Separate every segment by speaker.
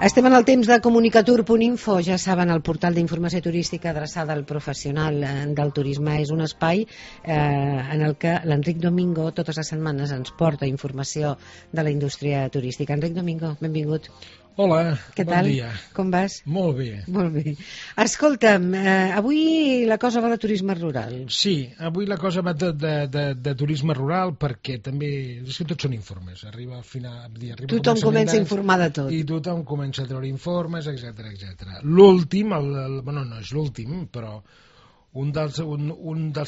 Speaker 1: Estem en el temps de comunicatur.info, ja saben, el portal d'informació turística adreçada al professional del turisme. És un espai en el que l'Enric Domingo totes les setmanes ens porta informació de la indústria turística. Enric Domingo, benvingut.
Speaker 2: Hola,
Speaker 1: Què
Speaker 2: bon
Speaker 1: tal?
Speaker 2: dia.
Speaker 1: Com vas?
Speaker 2: Molt bé.
Speaker 1: Molt bé. Escolta'm, avui la cosa va de turisme rural.
Speaker 2: Sí, avui la cosa va de turisme rural perquè també, és que tots són informes, arriba al final...
Speaker 1: Tothom comença a informar de tot.
Speaker 2: I tothom comença a treure informes, etc. L'últim, bueno, no és l'últim, però un dels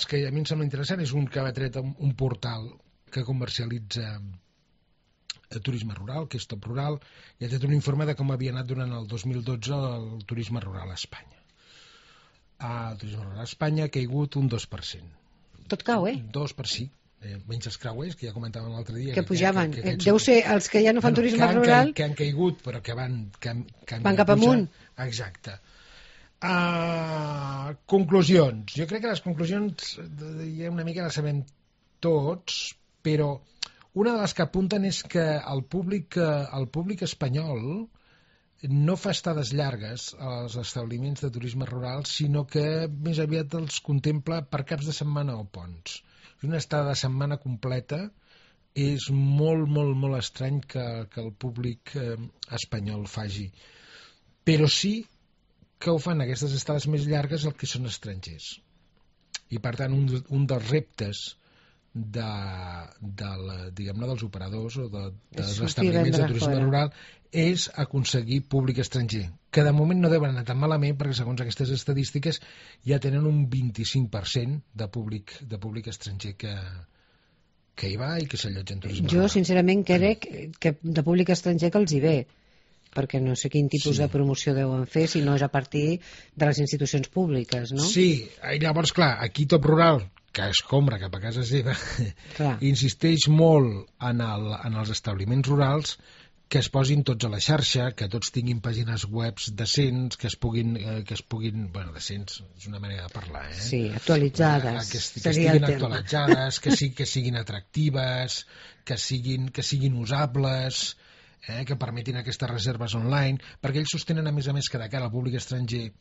Speaker 2: que a mi em sembla interessant és un que va tret un portal que comercialitza turisme rural, que és Top Rural, i ha tret un informe de com havia anat durant el 2012 el turisme rural a Espanya. El turisme rural a Espanya ha caigut un 2%.
Speaker 1: Tot cau,
Speaker 2: 2%, sí. Menys els creuers, que ja comentàvem l'altre dia.
Speaker 1: Que pujaven. Deu ser els que ja no fan turisme rural...
Speaker 2: Que han caigut, però que van
Speaker 1: cap amunt.
Speaker 2: Exacte. Conclusions. Jo crec que les conclusions ja una mica les sabem tots, però una de les que apunten és que el públic espanyol no fa estades llargues als establiments de turisme rural, sinó que més aviat els contempla per caps de setmana o ponts. Una estada de setmana completa és molt, molt, molt estrany que el públic espanyol faci. Però sí que ho fan aquestes estades més llargues el que són estrangers. I per tant un dels reptes diguem-ne dels operadors o dels establiments de turisme rural és aconseguir públic estranger, que de moment no deuen anar tan malament perquè segons aquestes estadístiques ja tenen un 25% de públic estranger que hi va i que s'allotja en turisme rural.
Speaker 1: Jo sincerament crec que de públic estranger que els hi ve, perquè no sé quin tipus de promoció deuen fer si no és a partir de les institucions públiques, no?
Speaker 2: Sí, i llavors clar, aquí Top Rural, que escombra cap a casa seva, insisteix molt en els establiments rurals que es posin tots a la xarxa, que tots tinguin pàgines webs decents, que es puguin bueno, decents, és una manera de parlar,
Speaker 1: Sí, actualitzades.
Speaker 2: Que estiguin actualitzades, que siguin atractives, que siguin usables, que permetin aquestes reserves online, perquè ells sostenen a més que de cara al públic estranger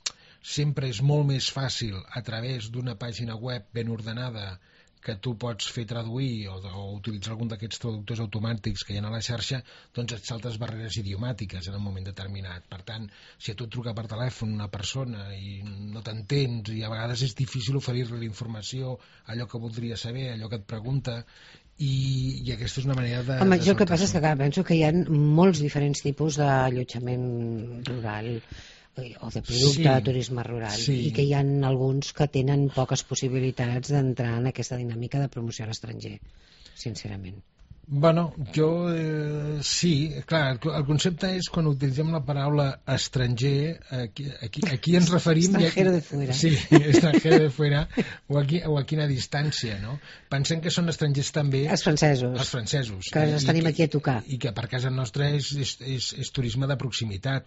Speaker 2: sempre és molt més fàcil a través d'una pàgina web ben ordenada que tu pots fer traduir o utilitzar algun d'aquests traductors automàtics que hi ha a la xarxa, doncs et saltes barreres idiomàtiques en un moment determinat. Per tant, si a tu et truca per telèfon una persona i no t'entens i a vegades és difícil oferir-li la informació, allò que voldria saber, allò que et pregunta, i aquesta és una manera de...
Speaker 1: Home, jo el que passa és que penso que hi ha molts diferents tipus d'allotjament rural o de producte de turisme rural i que hi ha alguns que tenen poques possibilitats d'entrar en aquesta dinàmica de promoció a l'estranger, sincerament.
Speaker 2: Bueno, jo sí, clar, el concepte és quan utilitzem la paraula estranger, aquí ens referim...
Speaker 1: Extranjero de fuera.
Speaker 2: Sí, extranjero de fuera, o a quina distància, no? Pensem que són estrangers també...
Speaker 1: Els francesos.
Speaker 2: Els francesos.
Speaker 1: Que els tenim aquí a tocar.
Speaker 2: I que per casa nostra és turisme de proximitat.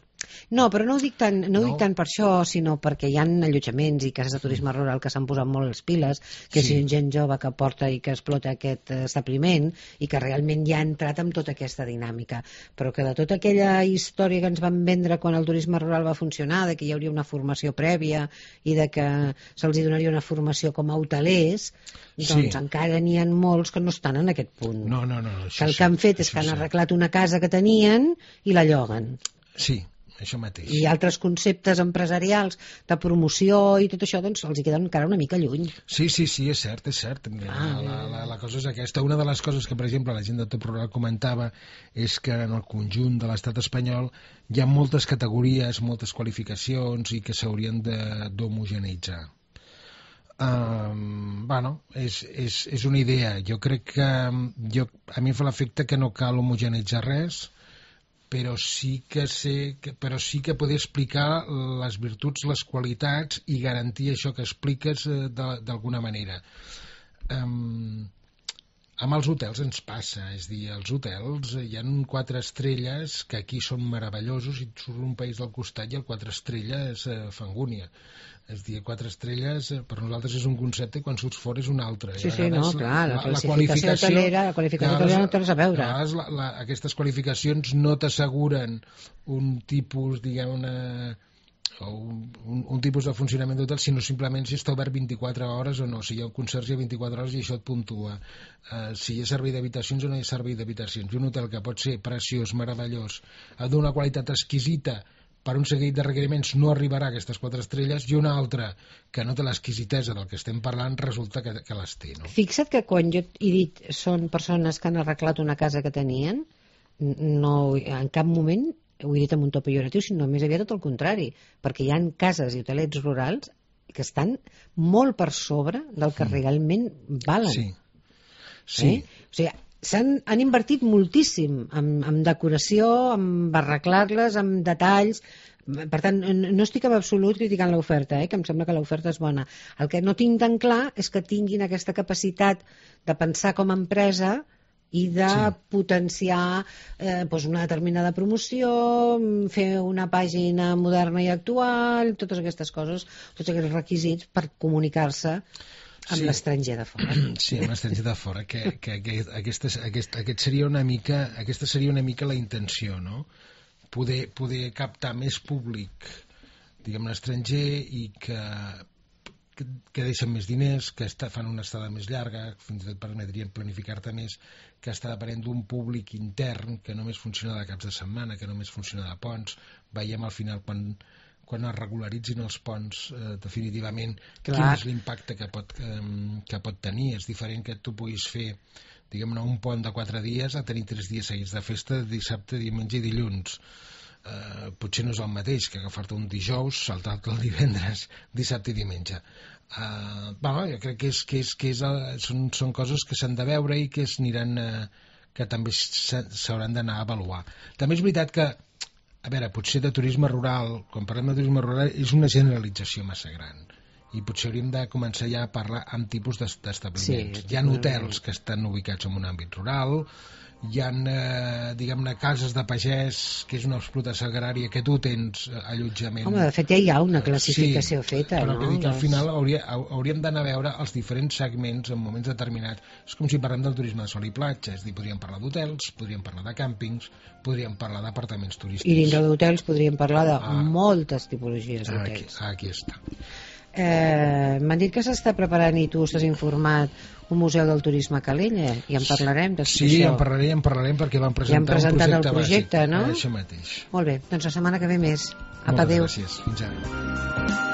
Speaker 1: No, però no ho dic tant per això, sinó perquè hi ha allotjaments i cases de turisme rural que s'han posat molt les piles, que si gent jove que porta i que explota aquest establiment i que realment ja ha entrat amb tota aquesta dinàmica, però que de tota aquella història que ens van vendre quan el turisme rural va funcionar, de que hi hauria una formació prèvia i de que se'ls donaria una formació com a hotelers, doncs encara n'hi ha molts que no estan en aquest punt.
Speaker 2: No.
Speaker 1: Que el que han fet és que han arreglat una casa que tenien i la lloguen.
Speaker 2: Sí, això mateix.
Speaker 1: I altres conceptes empresarials de promoció i tot això, doncs els hi queden encara una mica lluny.
Speaker 2: Sí, és cert. La cosa és aquesta. Una de les coses que, per exemple, la gent de Top Rural comentava és que en el conjunt de l'estat espanyol hi ha moltes categories, moltes qualificacions i que s'haurien d'homogeneitzar. Bueno, és una idea. Jo crec que a mi em fa l'efecte que no cal homogeneitzar res, però sí que poder explicar les virtuts, les qualitats i garantir això que expliques d'alguna manera. Amb els hotels ens passa, és a dir, els hotels hi ha 4 estrelles que aquí són meravellosos i et surt un país del costat i el 4 estrelles fa angúnia. És a dir, 4 estrelles per nosaltres és un concepte i quan surts fora és un altre.
Speaker 1: Sí, sí, no, clar, la classificació hotelera no té res a veure.
Speaker 2: Aquestes qualificacions no t'asseguren un tipus, diguem, un tipus de funcionament d'hotel, sinó simplement si està obert 24 hores o no, si hi ha un conserge 24 hores i això et puntua, si hi ha servei d'habitacions o no hi ha servei d'habitacions. Un hotel que pot ser preciós, meravellós, d'una qualitat exquisita, per un seguit de requeriments no arribarà a aquestes 4 estrelles, i una altra que no té l'exquisitesa del que estem parlant resulta que les té, no?
Speaker 1: Fixa't que quan jo he dit són persones que han arreglat una casa que tenien, no, en cap moment ho he dit amb un to pejoratiu, sinó més aviat tot el contrari, perquè hi ha cases i hotelets rurals que estan molt per sobre del que realment valen.
Speaker 2: Sí.
Speaker 1: O sigui, han invertit moltíssim en decoració, en arreglar-les, en detalls. Per tant, no estic en absolut criticant l'oferta, que em sembla que l'oferta és bona. El que no tinc tan clar és que tinguin aquesta capacitat de pensar com a empresa i de potenciar una determinada promoció, fer una pàgina moderna i actual, totes aquestes coses, tots aquests requisits per comunicar-se amb l'estranger de fora.
Speaker 2: Sí, amb l'estranger de fora, que aquesta seria una mica la intenció, no? Poder captar més públic, diguem, l'estranger, i que deixen més diners, que fan una estada més llarga, fins i tot permetrien planificar-te més, que està depenent d'un públic intern que només funciona de caps de setmana, que només funciona de ponts. Veiem al final quan es regularitzin els ponts definitivament quin és l'impacte que pot tenir. És diferent que tu puguis fer, diguem-ne, un pont de 4 dies a tenir 3 dies seguits de festa, dissabte, diumenge i dilluns. Potser no és el mateix que agafar-te un dijous, saltar-te el divendres, dissabte i diumenge. Jo crec que són coses que s'han de veure i que que també s'hauran d'anar a avaluar. També és veritat que, a veure, potser de turisme rural, quan parlem de turisme rural, és una generalització massa gran. I potser hauríem de començar ja a parlar amb tipus d'establiments. Hi ha hotels que estan ubicats en un àmbit rural, hi ha, diguem-ne, cases de pagès, que és una explotació agrària, que tu tens allotjament.
Speaker 1: Home, de fet ja hi ha una classificació feta,
Speaker 2: però
Speaker 1: no?
Speaker 2: Al final hauríem d'anar a veure els diferents segments en moments determinats. És com si parlem del turisme de sol i platja, és a dir, podríem parlar d'hotels, podríem parlar de càmpings, podríem parlar d'apartaments turístics.
Speaker 1: I dintre d'hotels podríem parlar de moltes tipologies d'hotels.
Speaker 2: Aquí està.
Speaker 1: M'han dit que s'està preparant, i tu estàs informat, un museu del turisme a Calella, i en parlarem després.
Speaker 2: Sí, en parlarem perquè van presentar un projecte
Speaker 1: el projecte,
Speaker 2: bàsic.
Speaker 1: No?
Speaker 2: Això mateix.
Speaker 1: Molt bé, doncs la setmana que ve més. Apa, adéu.
Speaker 2: Moltes gràcies. Fins ara.